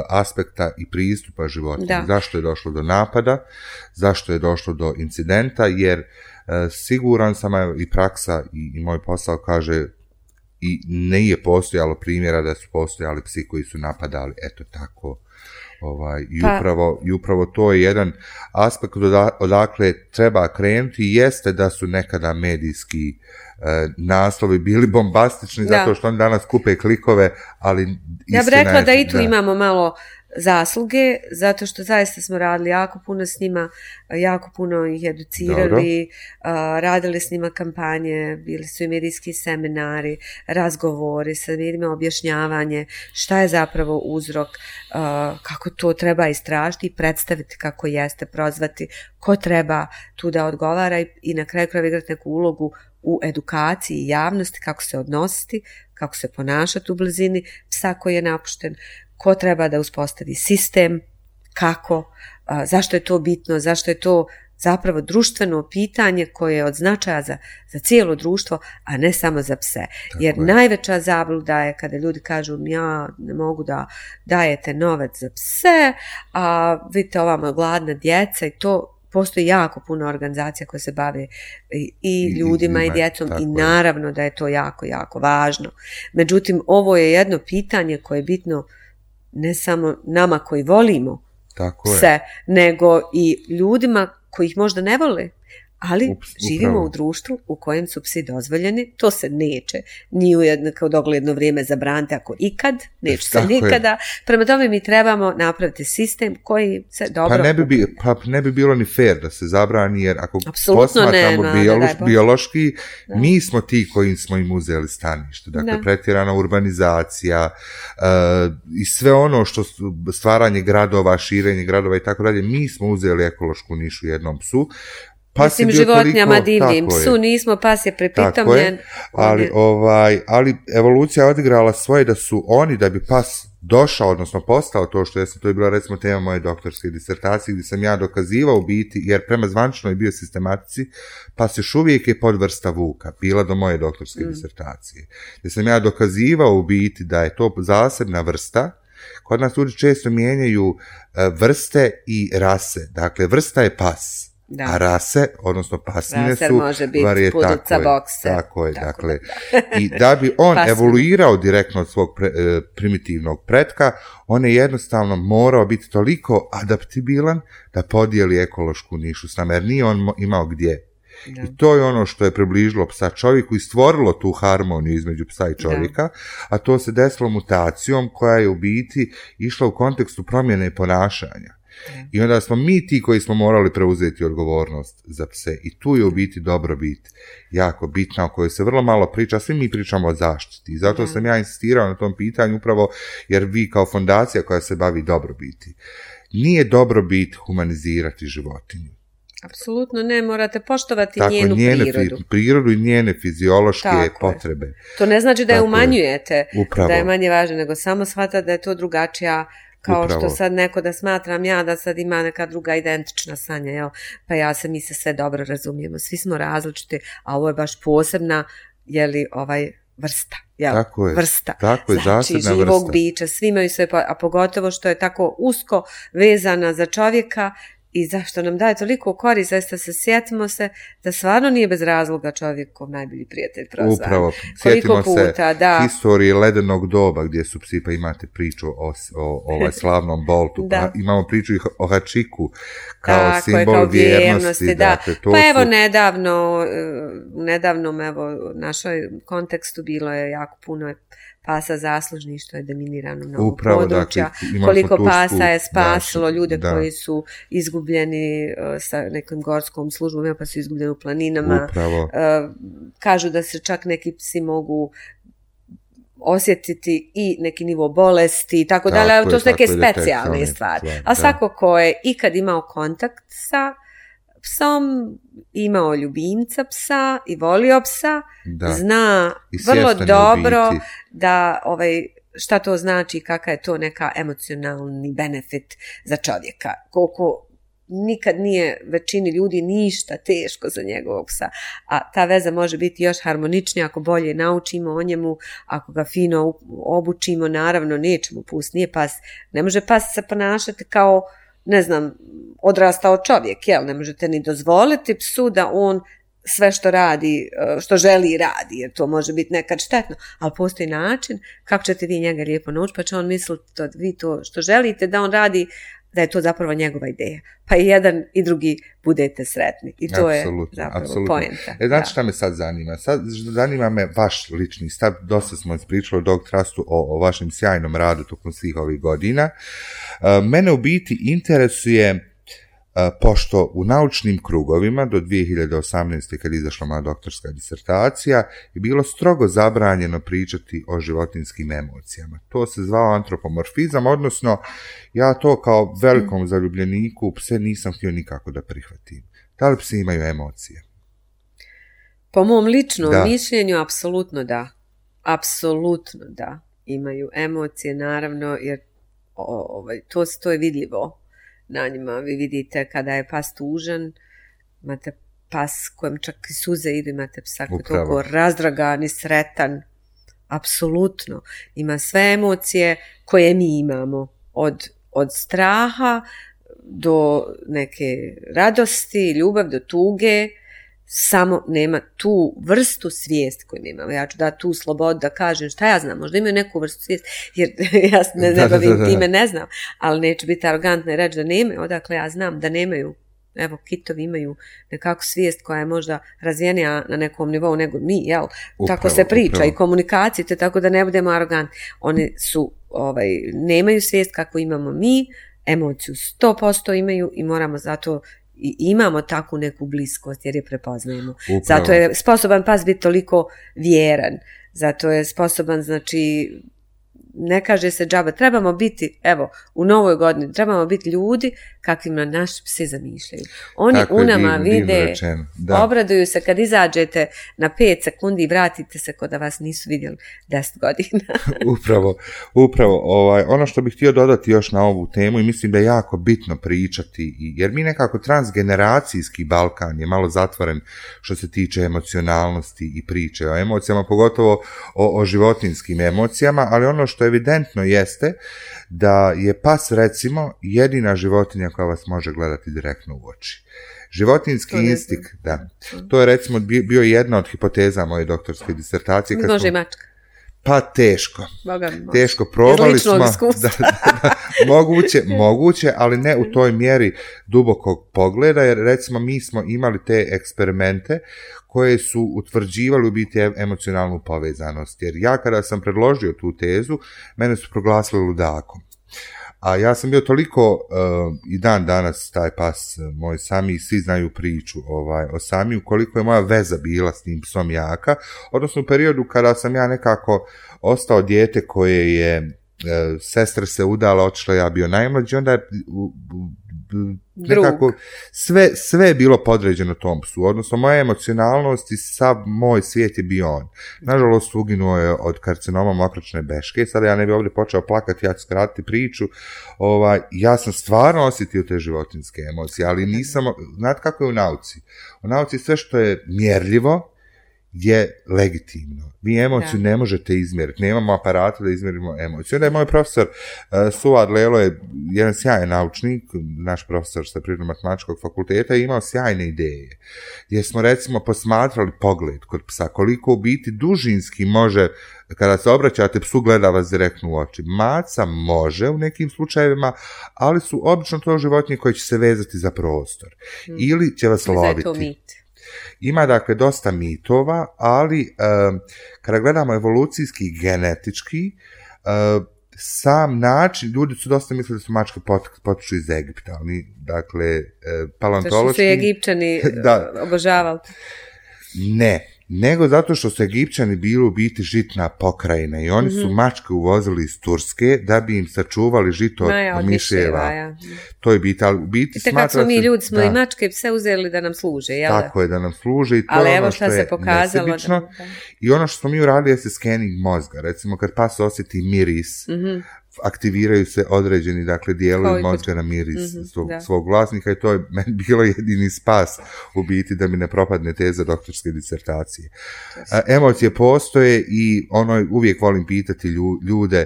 aspekta i pristupa života. Zašto je došlo do napada, zašto je došlo do incidenta, jer uh, siguran sam, i praksa i, i moj posao kaže, i nije postojalo primjera da su postojali psi koji su napadali, eto tako. Ovaj, i, Pa- upravo, I upravo to je jedan aspekt oda- odakle treba krenuti, jeste da su nekada medijski e, naslovi bili bombastični, Da. zato što oni danas kupe klikove, ali Ja bih istina rekla je- da i tu imamo malo zasluge, zato što zaista smo radili jako puno s njima, jako puno ih educirali, a, radili s njima kampanje, bili su i medijski seminari, razgovori sa ljudima, objašnjavanje šta je zapravo uzrok, a, kako to treba istražiti i predstaviti kako jeste, prozvati ko treba tu da odgovara i, i na kraju krajeva igrati neku ulogu u edukaciji i javnosti, kako se odnositi, kako se ponašati u blizini psa koji je napušten, ko treba da uspostavi sistem, kako, a, zašto je to bitno, zašto je to zapravo društveno pitanje koje je od značaja za, za cijelo društvo, a ne samo za pse. Tako Jer je. najveća zabluda je kada ljudi kažu ja ne mogu da dajete novac za pse, a vidite ovamo gladna djeca i to. Postoji jako puno organizacija koje se bave i, i I- ljudima i, i- djecom tako i je. naravno da je to jako, jako važno. Međutim, ovo je jedno pitanje koje je bitno ne samo nama koji volimo Tako je. pse, nego i ljudima koji ih možda ne vole, ali Ups, živimo upravo. u društvu u kojem su psi dozvoljeni, to se neće ni u jedno kao dogledno vrijeme zabraniti, ako ikad, neće se Tako je. nikada. Prema tome mi trebamo napraviti sistem koji se dobro... Pa ne, bi, bi- pa ne bi bilo ni fair da se zabrani, jer ako Apsolutno posmatramo nema, biološ- ne daj Bože. biološki, Da. mi smo ti koji smo im uzeli stanište. Dakle, Da. pretjerana urbanizacija uh, i sve ono što su stvaranje gradova, širenje gradova i tako dalje, mi smo uzeli ekološku nišu jednom psu. Pas je Mislim, bio životinjama toliko- divnim, tako je. psu nismo, pas je Tako pripitomljen. je, ali, on je- ovaj, ali evolucija je odigrala svoje da su oni, da bi pas došao, odnosno postao to što jesam, to je bila recimo tema moje doktorske disertacije, gdje sam ja dokazivao u biti, jer prema zvančnoj biosistematici, pas još uvijek je podvrsta vuka, bila do moje doktorske Mm. disertacije. Gdje sam ja dokazivao u biti da je to zasebna vrsta. Kod nas ljudi često mijenjaju e, vrste i rase. Dakle, vrsta je pas. Da. A rase, odnosno pasmine Raser su može biti varije- pudica, tako je, bokser. Tako je, Tako dakle. I da bi on Pasmine. evoluirao direktno od svog pre- e, primitivnog pretka, on je jednostavno morao biti toliko adaptibilan da podijeli ekološku nišu s nama, jer nije on mo- imao gdje. Da. I to je ono što je približilo psa čovjeku i stvorilo tu harmoniju između psa i čovjeka, a to se desilo mutacijom koja je u biti išla u kontekstu promjene ponašanja. I onda smo mi ti koji smo morali preuzeti odgovornost za pse. I tu je u biti dobrobit jako bitna, o kojoj se vrlo malo priča, svi mi pričamo o zaštiti. I zato Da. sam ja insistirao na tom pitanju upravo jer vi kao fondacija koja se bavi dobrobiti, nije dobrobit humanizirati životinju. Apsolutno ne, morate poštovati Tako, njenu njene prirodu. fi- prirodu i njene fiziološke Tako je. potrebe. To ne znači da je Tako je. umanjujete, Upravo. da je manje važno, nego samo shvata da je to drugačija, kao Upravo. što sad neko da smatram ja da sad ima neka druga identična sanja, jel? Pa ja se, mi se sve dobro razumijemo, svi smo različiti, a ovo je baš posebna, jeli, ovaj, vrsta. Jel? Tako je. Vrsta. Tako je, Znači, zasebna živog vrsta. bića, svi imaju sve, a pogotovo što je tako usko vezana za čovjeka i zašto nam daje toliko korist, zaista se sjetimo se da stvarno nije bez razloga čovjekov najbolji prijatelj prozvan. Upravo, Koliko sjetimo se puta, da. historije ledenog doba gdje su psi, pa imate priču o, o ovaj slavnom Boltu, Da. pa imamo priču i o Hačiku kao Tako je, simbol kao vjernosti. vjernosti, da. Dakle, to Pa evo su, nedavno, eh, u nedavnom evo, našoj kontekstu bilo je jako puno pasa zaslužnih što je deminirano mnogo Upravo, područja, dakle, imali smo koliko tursku pasa je spasilo našu, ljude da. koji su izgubljeni eh, sa nekom gorskom službom, evo, pa su izgubljeni u planinama. upravo, Eh, kažu da se čak neki psi mogu osjetiti i neki nivo bolesti i tako Tako dalje, ali je, to su neke tako je, specijalne detektivne stvari. stvari, A da. svako ko je ikad imao kontakt sa psom, imao ljubimca psa i volio psa, da. zna I vrlo svjestan je u dobro biti. da ovaj, šta to znači, kakav je to neka emocionalni benefit za čovjeka. Koliko nikad nije većini ljudi ništa teško za njegovog psa, a ta veza može biti još harmoničnija ako bolje naučimo o njemu, ako ga fino obučimo, naravno nećemo pustiti, nije pas, ne može pas se ponašati kao, ne znam, odrastao čovjek, jel, ne možete ni dozvoliti psu da on sve što radi, što želi radi, jer to može biti nekad štetno, ali postoji način kako ćete vi njega lijepo naučiti, pa će on misliti da vi to što želite da on radi, da je to zapravo njegova ideja. Pa i jedan i drugi budete sretni. I to apsolutno, je zapravo apsolutno. poenta. E, znači šta me sad zanima? Sad zanima me vaš lični stav. Dosta smo ispričali u Dog Trustu o, o vašem sjajnom radu tokom svih ovih godina. Uh, mene u biti interesuje pošto u naučnim krugovima do dvije hiljade osamnaeste. kad je izašla moja doktorska disertacija je bilo strogo zabranjeno pričati o životinjskim emocijama. To se zvao antropomorfizam, odnosno ja to kao velikom zaljubljeniku pse nisam htio nikako da prihvatim. Da li psi imaju emocije? Po mom ličnom da. mišljenju, apsolutno da. Apsolutno da. Imaju emocije, naravno, jer ovaj, to, to je vidljivo na njima. Vi vidite kada je pas tužan, imate pas kojem čak i suze idu, imate psa koji je toliko razdragan i sretan. Apsolutno. Ima sve emocije koje mi imamo. Od, od straha do neke radosti, ljubav, do tuge. Samo nema tu vrstu svijesti koju mi imamo. Ja ću dati tu slobodu da kažem šta ja znam, možda imaju neku vrstu svijesti, jer ja ne, ne bavim time, ne znam, ali neću biti arogantna i reći da nemaju, odakle ja znam da nemaju. Evo, kitovi imaju nekakvu svijest koja je možda razvijenija na nekom nivou nego mi, jel? Upravo, tako se priča upravo. I komunikacije, te tako da ne budemo arogantni. Oni su, ovaj, nemaju svijest kako imamo mi, emociju sto posto imaju i moramo zato i imamo takvu neku bliskost jer je prepoznajemo. Upravo. Zato je sposoban pas biti toliko vjeran. Zato je sposoban, znači, ne kaže se džaba, trebamo biti, evo, u novoj godini, trebamo biti ljudi kakvima naši psi zamišljaju. Oni tako u nama divno, vide, divno obraduju se kad izađete na pet sekundi i vratite se kod da vas nisu vidjeli deset godina. upravo, upravo. Ovaj, ono što bih htio dodati još na ovu temu i mislim da je jako bitno pričati, jer mi nekako transgeneracijski Balkan je malo zatvoren što se tiče emocionalnosti i priče o emocijama, pogotovo o, o životinjskim emocijama, ali ono što evidentno jeste da je pas recimo jedina životinja koja vas može gledati direktno u oči. Životinjski instinkt, da. To je recimo bio jedna od hipoteza moje doktorske disertacije. Može smo... i mačka. Pa teško. Boga, teško, probali smo. Da, da, da, moguće, moguće, ali ne u toj mjeri dubokog pogleda, jer recimo mi smo imali te eksperimente koje su utvrđivali u biti emocionalnu povezanost. Jer ja kada sam predložio tu tezu, mene su proglasili ludakom. A ja sam bio toliko, uh, i dan danas taj pas moj Sami, svi znaju priču ovaj, o Samiju, koliko je moja veza bila s tim psom jaka, odnosno u periodu kada sam ja nekako ostao dijete koje je, uh, sestra se udala, otišla, ja bio najmlađi, onda je uh, nekako sve, sve je bilo podređeno tom psu, odnosno moja emocionalnost i sav moj svijet je bio on. Nažalost, uginuo je od karcinoma mokračne beške, sada ja ne bi ovdje počeo plakati, ja ću skratiti priču, ovaj, ja sam stvarno osjetio te životinjske emocije, ali nisam, znate kako je u nauci? U nauci sve što je mjerljivo je legitimno. Vi emociju da. ne možete izmjeriti. Nemamo aparata da izmjerimo emociju. Onda je moj profesor uh, Suad Lelo je jedan sjajan naučnik, naš profesor sa Prirodno-matematičkog fakulteta, i imao sjajne ideje. Gdje smo recimo posmatrali pogled kod psa, koliko u biti dužinski može, kada se obraćate psu, gleda vas direktno u oči. Maca može u nekim slučajevima, ali su obično to životinje koje će se vezati za prostor. Hmm. Ili će vas loviti. Ima dakle dosta mitova, ali um, kada gledamo evolucijski i genetički, uh, sam način, ljudi su dosta mislili da su mačke pot, potiču iz Egipta, ali dakle uh, paleontološki... To su Egipćani da, obožavali. Ne, nego zato što su Egipćani bili u biti žitna pokrajina i oni mm-hmm. su mačke uvozili iz Turske da bi im sačuvali žito od no, miševa. Ja. To je biti, ali u biti smatra se... Kad smo mi ljudi, smo da. i mačke pse uzeli da nam služe, jel da? Tako je, da nam služe i to ali je ono što je se nesebično. Da... I ono što smo mi uradili je se scanning mozga. Recimo, kad pas osjeti miris, mm-hmm. aktiviraju se određeni, dakle, dijelovi mozga na miris mm-hmm, svog, svog vlasnika i to je meni bilo jedini spas u biti da mi ne propadne teza doktorske disertacije. A, emocije postoje i ono uvijek volim pitati ljude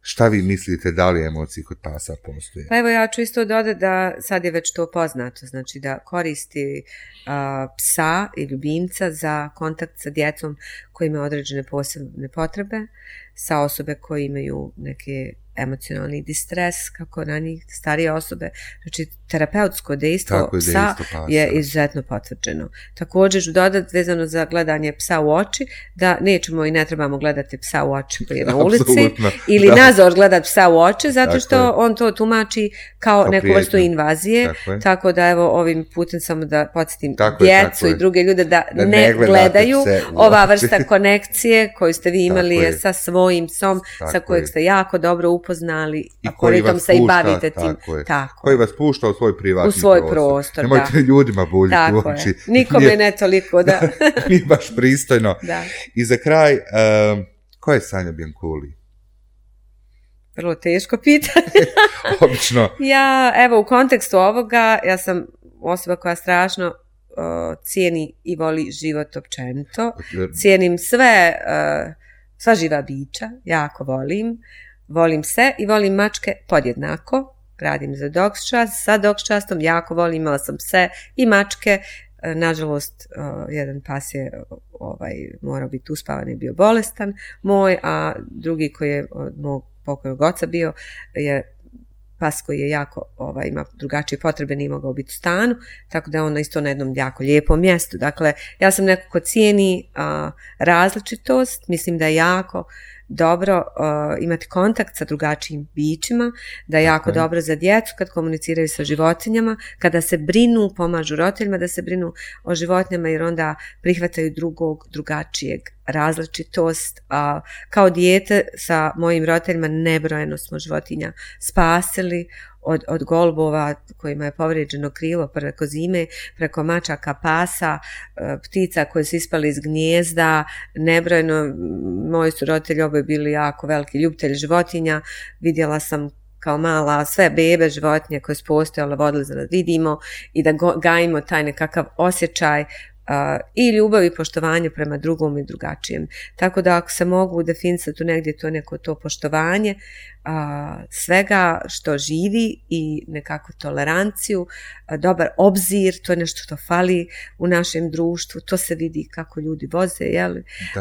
Šta vi mislite, da li emocije kod pasa postoje? Pa evo ja ću isto dodati da sad je već to poznato, znači da koristi a, psa i ljubimca za kontakt sa djecom koji imaju određene posebne potrebe, sa osobe koje imaju neke emocionalni distres, kako na njih starije osobe. Znači, terapeutsko dejstvo psa je izuzetno potvrđeno. Također ću dodati vezano za gledanje psa u oči, da nećemo i ne trebamo gledati psa u oči koji je na ulici, ili da. nazor gledati psa u oči, zato tako što je. on to tumači kao, kao neku prijetno. vrstu invazije. Tako, tako da evo ovim putem samo da podsjetim tako djecu je, i druge ljude da, da ne, ne gledaju ova vrsta konekcije koju ste vi imali je sa svojim psom, tako sa kojeg ste jako dobro upoznali, a koritom se i bavite tim. Tako je. Tako. Koji vas pušta u svoj privatni u svoj prostor. prostor Nemojte da. ljudima buljiti u oči. Nikome nije, ne toliko, da. Nije baš pristojno. Da. I za kraj, um, ko je Sanja Bianculi? Vrlo teško pitanje. Obično. Ja, evo, u kontekstu ovoga, ja sam osoba koja strašno uh, cijeni i voli život općenito. Cijenim sve, uh, sva živa bića, jako volim. Volim se i volim mačke podjednako. Radim za Dogs Trust, sa Dogs Trustom jako volim, imala sam pse i mačke. Nažalost, uh, jedan pas je ovaj, morao biti uspavan i bio bolestan moj, a drugi koji je od mog pokojnog oca bio je pas koji je jako, ovaj, ima drugačije potrebe, nije mogao biti u stanu, tako da je on isto na jednom jako lijepom mjestu. Dakle, ja sam neko ko cijeni uh, različitost, mislim da je jako dobro uh, imati kontakt sa drugačijim bićima, da je jako okay. dobro za djecu kad komuniciraju sa životinjama, kada se brinu, pomažu roditeljima da se brinu o životinjama jer onda prihvataju drugog, drugačijeg, različitost. A kao dijete sa mojim roditeljima nebrojeno smo životinja spasili, od, od golubova kojima je povrijeđeno krilo preko zime, preko mačaka, pasa, ptica koje su ispali iz gnijezda, nebrojeno. Moji su roditelji oboje bili jako veliki ljubitelji životinja. Vidjela sam kao mala sve bebe životinje koje su postojale, vodili za da vidimo i da go, gajimo taj nekakav osjećaj Uh, i ljubav i poštovanje prema drugom i drugačijem. Tako da ako se mogu definisati tu negdje to neko to poštovanje uh, svega što živi i nekakvu toleranciju, uh, dobar obzir, to je nešto što fali u našem društvu, to se vidi kako ljudi voze, jel?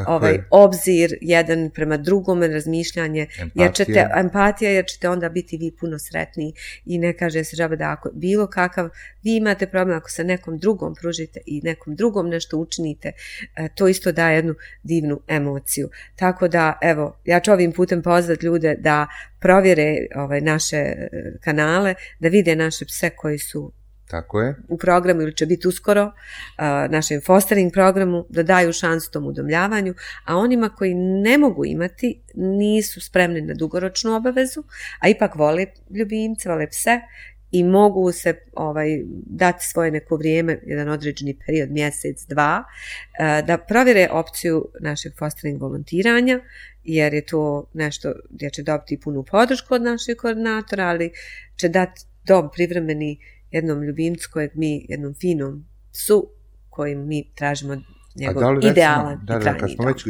Ovaj, obzir jedan prema drugome, razmišljanje, empatija. Jer ćete, empatija, jer ćete onda biti vi puno sretniji i ne kaže se žaba da ako bilo kakav, vi imate problem ako se nekom drugom pružite i nekom drugom nešto učinite, to isto daje jednu divnu emociju. Tako da, evo, ja ću ovim putem pozvati ljude da provjere ovaj, naše kanale, da vide naše pse koji su tako je. u programu ili će biti uskoro, uh, našem fostering programu, da daju šansu tom udomljavanju, a onima koji ne mogu imati, nisu spremni na dugoročnu obavezu, a ipak vole ljubimce, vole pse, i mogu se ovaj, dati svoje neko vrijeme, jedan određeni period, mjesec, dva, da provjere opciju našeg fostering volontiranja, jer je to nešto gdje će dobiti punu podršku od našeg koordinatora, ali će dati dom privremeni jednom ljubimcu kojeg mi, jednom finom psu kojim mi tražimo njegov da recimo, idealan da, i trajni kad smo dom. Već, e,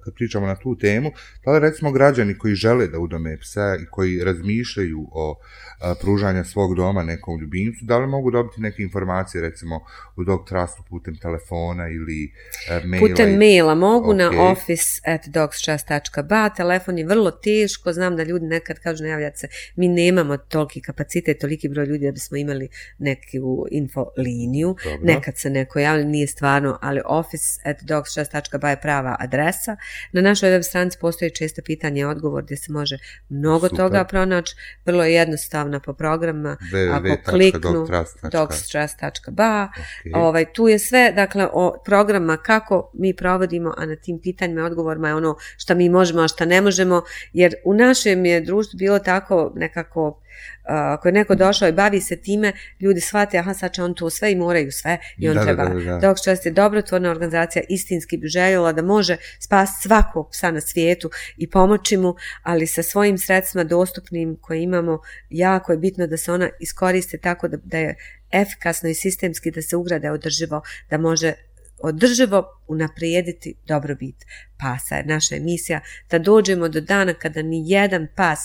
kad pričamo na tu temu, da li recimo građani koji žele da udome psa i koji razmišljaju o a, pružanja svog doma nekom ljubimcu, da li mogu dobiti neke informacije recimo u Dog Trustu putem telefona ili a, maila? Putem i... maila mogu okay. na office at dogstrust dot ba, telefon je vrlo teško, znam da ljudi nekad kažu najavljati se, mi nemamo toliki kapacitet, toliki broj ljudi da bismo imali neku info liniju, dobro. Nekad se neko javlja, nije stvarno, ali office at dogstrust dot ba je prava adresa. Na našoj web stranici postoji često pitanje i odgovor gdje se može mnogo Super. Toga pronaći, vrlo je jednostavno po programima, ako kliknu dogstrust dot ba, okay. ovaj, tu je sve, dakle, o programa kako mi provodimo, a na tim pitanjima i odgovorima je ono što mi možemo, a što ne možemo, jer u našem je društvu bilo tako nekako, ako je neko došao i bavi se time, ljudi shvate, aha, sad će on to sve i moraju sve i on da, treba. Da, da, da. Dog Trust je dobrotvorna organizacija, istinski bi željela da može spasiti svakog psa na svijetu i pomoći mu, ali sa svojim sredstvima dostupnim koje imamo, jako je bitno da se ona iskoriste tako da, da je efikasno i sistemski, da se ugrade održivo, da može održivo unaprijediti dobrobit pasa. Naša emisija da dođemo do dana kada ni jedan pas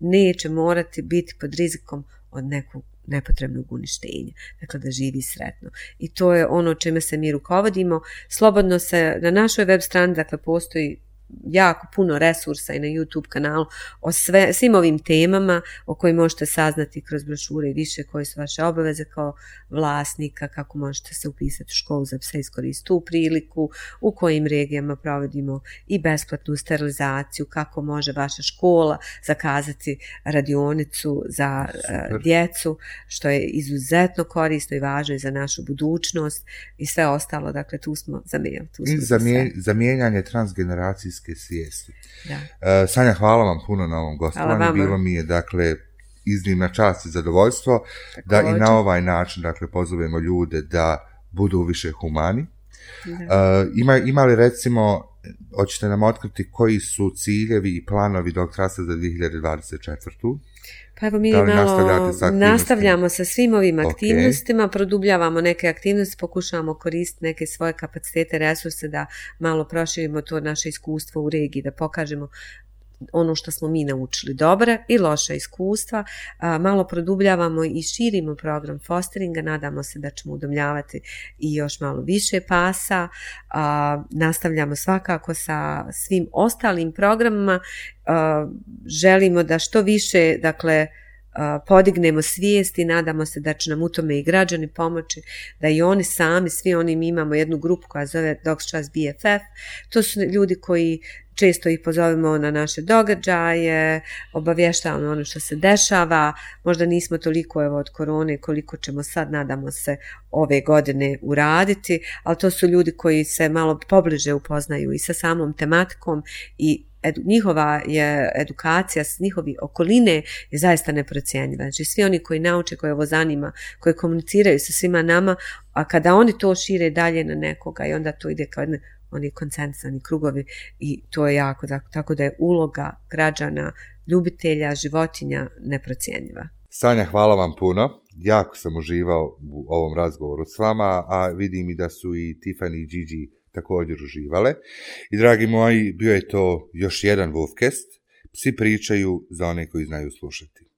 neće morati biti pod rizikom od nekog nepotrebnog uništenja, dakle da živi sretno. I to je ono čime se mi rukovodimo. Slobodno se na našoj web strani, dakle postoji jako puno resursa i na YouTube kanalu o sve, svim ovim temama o kojima možete saznati kroz brošure i više koje su vaše obaveze kao vlasnika, kako možete se upisati u školu za pse, iskoristiti tu priliku, u kojim regijama provodimo i besplatnu sterilizaciju, kako može vaša škola zakazati radionicu za uh, djecu, što je izuzetno korisno i važno i za našu budućnost i sve ostalo, dakle tu smo za mail. Tu smo I za mje, zamijenjanje transgeneracijske svijesti. Da. Uh, Sanja, hvala vam puno na ovom gostovanju. Bilo mi je, dakle, iznimna čast i zadovoljstvo da i na ovaj način, dakle, pozovemo ljude da budu više humani. Uh, ima, ima li, recimo, hoćete nam otkriti koji su ciljevi i planovi doktorstva za dvije hiljade dvadeset četvrtu. Pa evo mi malo sa nastavljamo sa svim ovim aktivnostima, okay. Produbljavamo neke aktivnosti, pokušavamo koristiti neke svoje kapacitete, resurse da malo proširimo to naše iskustvo u regiji, da pokažemo ono što smo mi naučili, dobre i loše iskustva. A, malo produbljavamo i širimo program fosteringa, nadamo se da ćemo udomljavati i još malo više pasa. A, nastavljamo svakako sa svim ostalim programima. A, želimo da što više, dakle, podignemo svijest i nadamo se da će nam u tome i građani pomoći, da i oni sami, svi oni, mi imamo jednu grupu koja zove Dogs Trust B F F, to su ljudi koji često ih pozovemo na naše događaje, obavještavamo ono što se dešava, možda nismo toliko evo od korone koliko ćemo sad, nadamo se, ove godine uraditi, ali to su ljudi koji se malo pobliže upoznaju i sa samom tematikom i Edu, njihova je edukacija, njihovi okoline je zaista neprocjenjiva. Znači svi oni koji nauče, koje ovo zanima, koji komuniciraju sa svima nama, a kada oni to šire dalje na nekoga i onda to ide kao jedne, oni koncentrisani krugovi i to je jako, tako da je uloga građana, ljubitelja, životinja neprocjenjiva. Sanja, hvala vam puno. Jako sam uživao u ovom razgovoru s vama, a vidim i da su i Tiffany i Gigi također uživale. I dragi moji, bio je to još jedan Wolfcast. Psi pričaju za one koji znaju slušati.